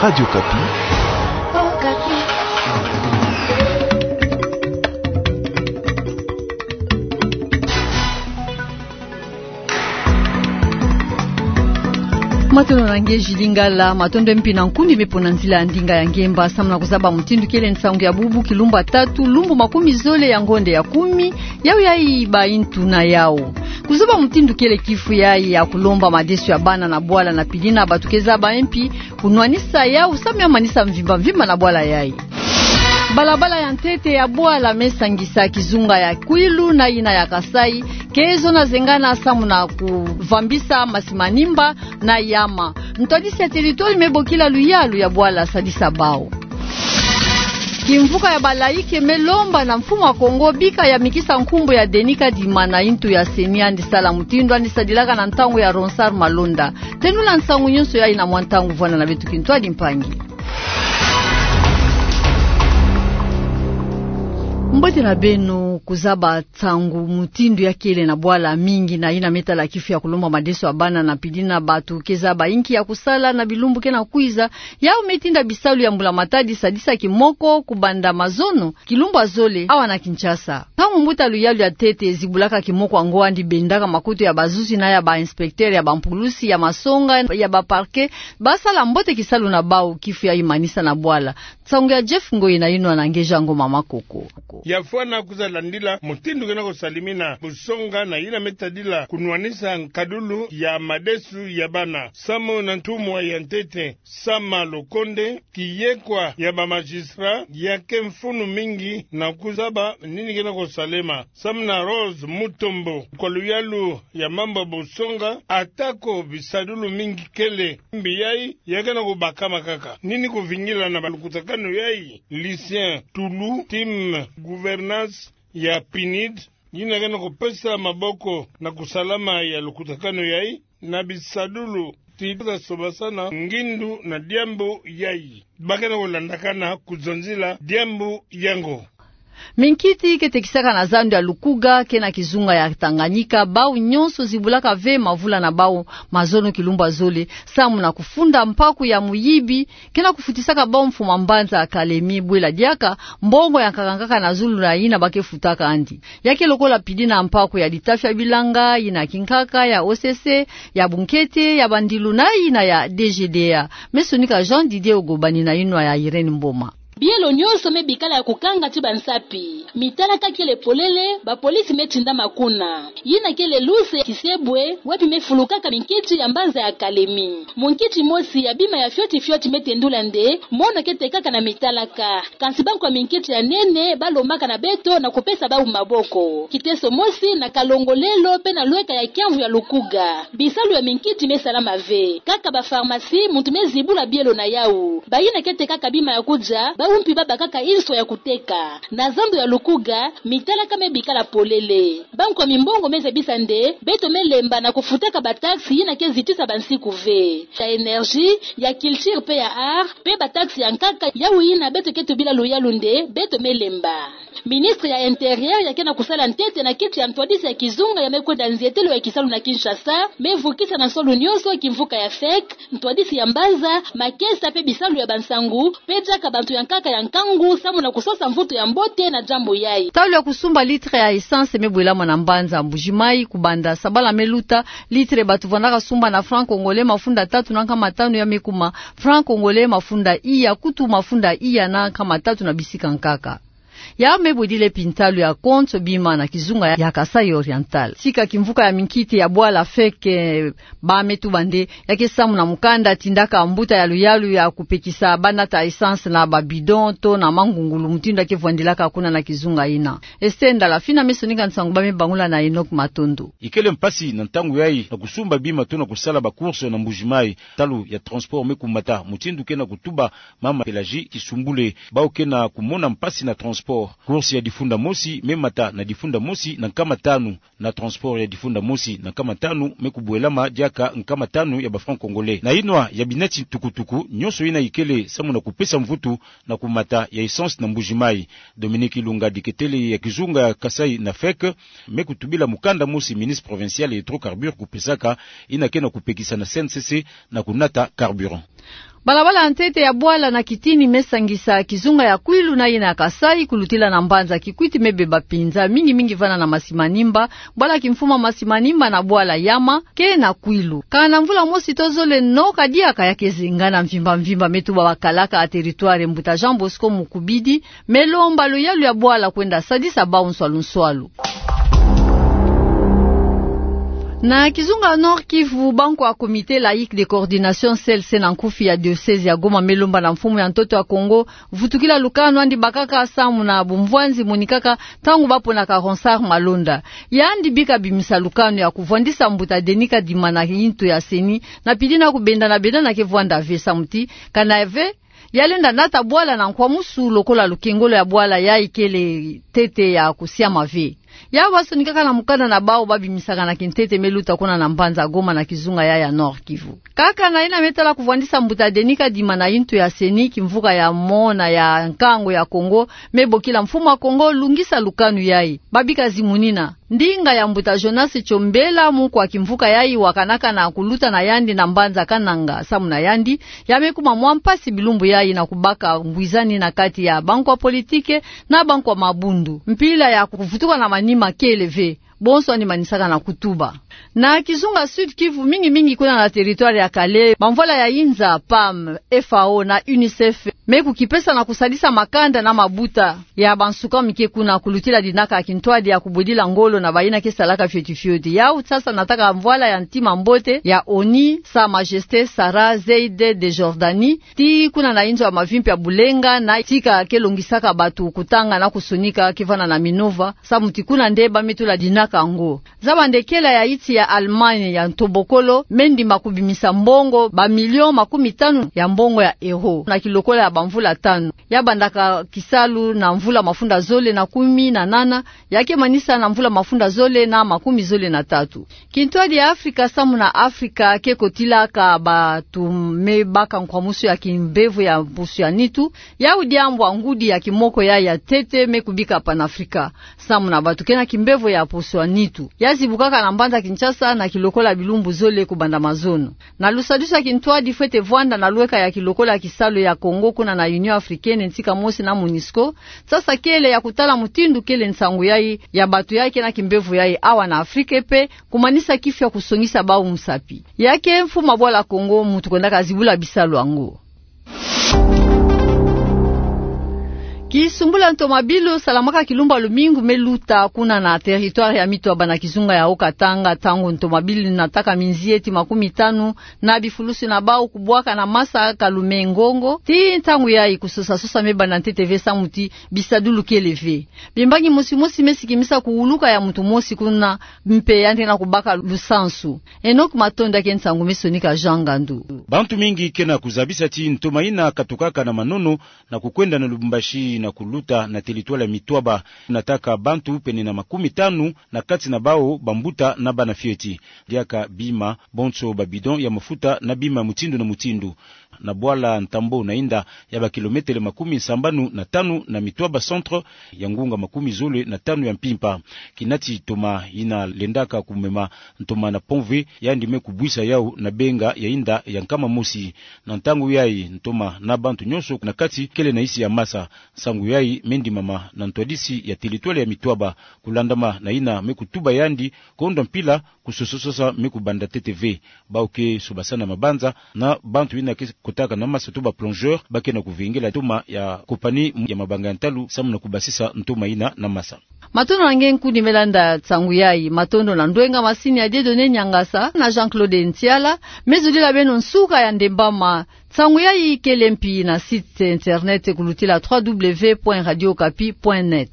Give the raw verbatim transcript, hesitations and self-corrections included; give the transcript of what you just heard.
Radio Okapi. Matondo na nge Julie Ngala, matondo mpi na nkundi me pona nzila ya ndinga ya ngemba, samu na kuzaba mutindu kele nsangu ya bubu kilumbu ya tatu, lumbu makumi zole ya ngonde ya kumi, yau yayi baintu na yau. Kuzaba mutindu kele kifu yayi ya kulomba madesu ya bana na bwala na pidina bato ke zaba mpi kunwanisa yau samu ya manisa mvimba mvimba na bwala yayi. Balabala ya ntete ya bwala me sangisa kizunga ya Kwilu na yina ya Kasaï, ke zona zengana samu na kuvambisa masi manimba na yama. Ntwadisi ya territoire me bokila luyalu ya bwala sadisa bau. Kimvuka ya balaïque me lomba na mfumu ya Kongo bika ya mikisa nkumbu ya Denis Kadima na intu ya CENI andi sala mutindu andi sadilaka na ntangu ya Ronsard Malonda. Tenula nsangu nyonso yayi na mwa ntangu vwanda na beto kintwadi mpangi. Mbote na beno. Kuzaba nsangu mutindu ya kele na bwala mingi na yina me tala kifu ya kulomba madesu ya bana na pidina bato ke zaba inki ya kusala na bilumbu ke na kwiza, yau me tinda bisalu ya mbula matadi sadisa kimoko kubanda mazono kilumbu ya zole awa na Kinshasa. Ntangu mbuta luyalu ya ntete zibulaka kimoko yango andi bendaka makutu ya bazuzi na ya ba inspecteur, ya bampulusi, ya masonga, ya ba parquet, basala mbote kisalu na bau kifu yayi manisa na bwala. Nsangu ya Jeff Ngoi na yinwa na Ngeja Ngoma Makoko. Ya fwana kwiza landila mutindu ke na kusalimina busonga na yina me tadila kunwanisa nkadulu ya madesu ya bana. Samu na ntumwa ya ntete Sama Lukonde, kiyekwa ya ba magistrat ya ke mfunu mingi na kuzaba nini ke na kusalema. Samu na Rose Mutombo, kwa luyalu ya mambu ya busonga, atako bisadulu mingi kele, mbi yayi ya ke na kubakama kaka. Nini kuvingila na ba lukutakanu yayi? Lucien Tulu, team gouvernance ya PNUD, yina ke na kupesa maboko na kusalama ya lukutakanu yayi, na bisadulu ti za sobasana ngindu na diambu yayi. Ba ke na kulandakana kuzonzila diambu yango. Minkiti ke tekisaka na zandu ya Lukuga, ke na kizunga ya Tanganyika, bau nyonso zibulaka ve mavula na bau mazono kilumbu ya zole, samu na kufunda mpaku ya muyibi, ke na kufutisaka bau mfumu ya mbanza ya Kalemi bwela diaka mbongo ya nkaka nkaka na zulu na yina ba ke futaka andi. Ya ke lokola pidina mpaku ya litafi ya bilanga, yina kinkaka, ya OCC, ya bunkete, ya bandilu na yina ya DGDA. Me sonika Jean Didier Ogobani na yinwa ya Irène Mboma. Bielo nyonso me bikala ya kukanga ti bansapi. Mitalaka kele polele, bapolisi me tindama kuna. Yina kele luse ya Kisebwe, wapi me fulukaka minkiti ya mbanza ya Kalemi. Munkiti mosi ya bima ya fioti fioti me tendula nde mono ke tekaka na mitalaka. Kansi bankwa minkiti ya nene ba lombaka na beto na kupesa bau maboko. Kiteso mosi na Kalongolelo pe na lweka ya kiamvu ya Lukuga, bisalu ya minkiti me salama ve. Kaka ba pharmacie muntu me zibula bielo na yau. Bayina ke tekaka bima ya kudia, bau mpi ba bakaka inswa ya kuteka. Na zandu ya Lukuga, mitalaka me bikala polele. Bankwa mimbongo me zabisa nde beto me lemba na kufutaka ba taxe yina ke zitisa bansiku ve. Ya énergie, ya culture pe ya art, pe ba taxe ya nkaka, yau yina beto ke tubila luyalu nde beto me lemba. Ministre ya Intérieur ya ke na kusala ntete na kiti ya ntwadisi ya kizunga ya me kwenda nzietelo ya kisalu na Kinshasa, me vukisa na nsolu nyonso kimvuka ya FEC, ntwadisi ya mbanza, makesa pe bisalu ya bansangu, pe diaka bantu ya nkaka ya nkangu, samu na kusosa mvutu ya mbote na diambu yayi. Talu ya kusumba litre ya essence me bwelama na mbanza Mbuji-Mayi, kubanda sabala me luta, litre bato vandaka sumba na franc congolais mafunda tatu na nkama tanu, ya me kuma franc congolais mafunda iya, kutu mafunda iya na nkama tatu na bisika nkaka. Ya me bwedile pintalu ya konso bima na kizunga ya, ya Kasaï Oriental. Sika kimvuka ya minkiti ya bwala FEC, eh, ba me tuba nde ya ke samu na mukanda tindaka mbuta ya luyalu ya kupekisa ba nata essence na ba bidon to na mangungulu, mutindu ya ke vwandilaka kuna na kizunga yina. Esther Ndala Fina me sonika nsangu, ba me bangula na Enoch Matondo. Ikele mpasi na ntangu yayi na kusumba bima to na kusala ba course na Mbuji-Mayi, talu ya transport me kumata, mutindu ke na kutuba mama Pelagie Kisumbule, bau ke na kumona mpasi na transport. Course ya difunda mosi me mata na difunda mosi na nkama tanu, na transport ya difunda mosi na nkama tanu me kubwelama diaka nkama tanu ya ba franc congolais. Na yinwa ya binati tukutuku, nyonso yina ikele samu na kupesa mvutu na kumata ya essence na Mbuji-Mayi. Dominique Ilunga, diketele ya kizunga ya Kasaï na FEC, me kutubila mukanda mosi ministre provincial ya hydrocarbures kupesaka, yina ke na kupekisa na CNCC na kunata carburant. Balabala ya ntete ya bwala na kitini me sangisa kizunga ya Kwilu na yina ya Kasaï, kulutila na mbanza Kikwit, me beba pinza mingi mingi vana na Masimanimba, bwala Kimfuma Masimanimba na bwala Yama, ke na Kwilu. Kana mvula mosi to zole no ka diaka, ya ke zenga na mvimba mvimba me tuba bakalaka ya territoire mbuta Jean Bosco Mukubidi, me lomba luyalu ya bwala kwenda sadisa bau nswalu nswalu. Na kizunga Nord-Kivu, bankwa Comité Laïque de Coordination, C L C, na nkufi ya diocèse ya Goma me lomba na mfumu ya ntoto ya Kongo vutukila lukanu andi bakaka samu na bumvwanzi monikaka ntangu baponaka Ronsard Malonda. Yandi bika bimisa lukanu ya kuvwandisa mbuta Denis Kadima na yintu ya CENI, na pili na kubendana bendana ke vwanda ve samu ti kana ve ya lenda nata bwala na nkwamusu lokola lukengolo ya bwala yayi kele ntete ya kusiama ve. Yau basonikaka na mukanda na bau babimisaka na kintete me luta kuna na mbanza Goma na kizunga yayi ya Nord-Kivu. Kaka na yina me tala kuvwandisa mbuta Denis Kadima na yintu ya CENI, kimvuka ya mona ya nkangu ya Kongo me bokila mfumu ya Kongo lungisa lukanu yayi. Babika zimunina ndinga ya mbuta Jonas Chombela, mukwa kimvuka yayi wakanaka na kuluta na yandi na mbanza Kananga, samu na yandi ya me kuma mwa mpasi bilumbu yayi na kubaka ngwizani na kati ya bankwa politike na bankwa mabundu. Mpila ya kuvutuka na manima kele ve, bonso andi manisaka na kutuba. Na kizunga Sud-Kivu, mingi mingi kuna na territoire ya Kalehe, bamvwala ya yinza, PAM, FAO na UNICEF me kukipesa na kusadisa makanda na mabuta ya bansuka mike kuna, kulutila dinaka ya kintwadi ya kubwedila ngolo na bayina ke salaka fioti fioti. Yau sasa nataka mvwala ya ntima mbote ya ONU, Sa Majesté Sarah Zeid de Jordanie, ti kuna na inzo ya mavimpi ya Bulenga, na tika ke longisaka batu kutanga na kusonika ke vana na Minova, samu ti kuna nde ba me tula dinaka yango. Zaba nde kela ya yiti ya Allemagne ya ntobokolo me ndima kubimisa mbongo ba million makumi tanu ya mbongo ya euro na kilokola ya bamvula tanu. Ya bandaka kisalu na mvula mafunda zole na kumi na nana, ya ke manisa na mvula mafunda zole na makumi zole na tatu. Kintwadi ya Afrika samu na Afrika ke kotilaka batu me baka nkwamusu ya kimbevo ya mpusu ya nitu, yau diambu ya ngudi ya kimoko yayi ya ntete me kubika Panafrica, samu na batu ke na kimbevo ya mpusu ya nitu. Ya zibukaka na mbanza Kinshasa na kilokola bilumbu zole kubanda mazono. Na lusadusu ya kintwadi fwete vwanda na lweka ya kilokola ya kisalu ya Congo kuna na Union Africaine ntika mosi na MONUSCO, sasa kele ya kutala mutindu kele nsangu yayi ya batu yayi ke na kimbevo yayi awa na Afrika pe, kumanisa kifu ya kusongisa bau musapi. Ya ke mfumu ya bwala Congo muntu kwendaka zibula bisalu yango. Kisumbula ntomabilu salamaka kilumbu ya lumingu me luta kuna na territoire ya Mitwaba na kizunga ya Haut-Katanga, ntangu ntomabilu nataka minzieti makumi tanu na bifulusi na bau kubwaka na masa Kalume-Ngongo. Ti ntangu yayi kusosa sosa me banda ntete ve samu ti bisadulu kele ve. Bimbangi mosi mosi me sikimisa kuwuluka ya muntu mosi kuna, mpe yandi na kubaka lusansu. Enoch Matondo ya ke nsangu me sonika Jean Ngandu. Bantu mingi ke na kuzabisa ti ntoma yina katukaka na Manono na kukwenda na Lubumbashi na kuluta na territoire ya Mitwaba, nataka bantu pene na makumi tanu, na kati na bau bambuta na bana fioti. Diaka bima bonso ba bidon ya mafuta na bima mutindu na mutindu. Na bwala Ntambo na yinda ya ba kilometele makumi sambanu na tanu na Mitwaba centre, ya ngunga makumi zole na tanu ya mpimpa. Kinati ntoma yina lendaka kumema ntoma na pont-V, yandi me kubwisa yau na benga ya yinda ya nkama mosi. Na ntangu yayi ntoma na bantu nyonso na kati kele na yisi ya masa. Nsangu yayi me ndimama na ntwadisi ya territoire ya Mitwaba, kulandama na yina me kutuba yandi, kondwa mpila kusosa sosa me kubanda ntete ve. Bau ke sobasana mabanza na bantu yina ke kotaka na masa to ba plongeurs, ba ke na kuvingila ntoma ya compagnie ya mabanga ya ntalu samu na kubasisa ntoma yina na masa. Matondo na nge nkundi me landa nsangu yayi. Matondo na ndwenga masini ya Dieudonné Niangasa na Jean-Claude Ntiala. Me zolila beno nsuka ya ndembama. Nsangu yayi kele mpi na site internet kulutila trois W point radio okapi point net.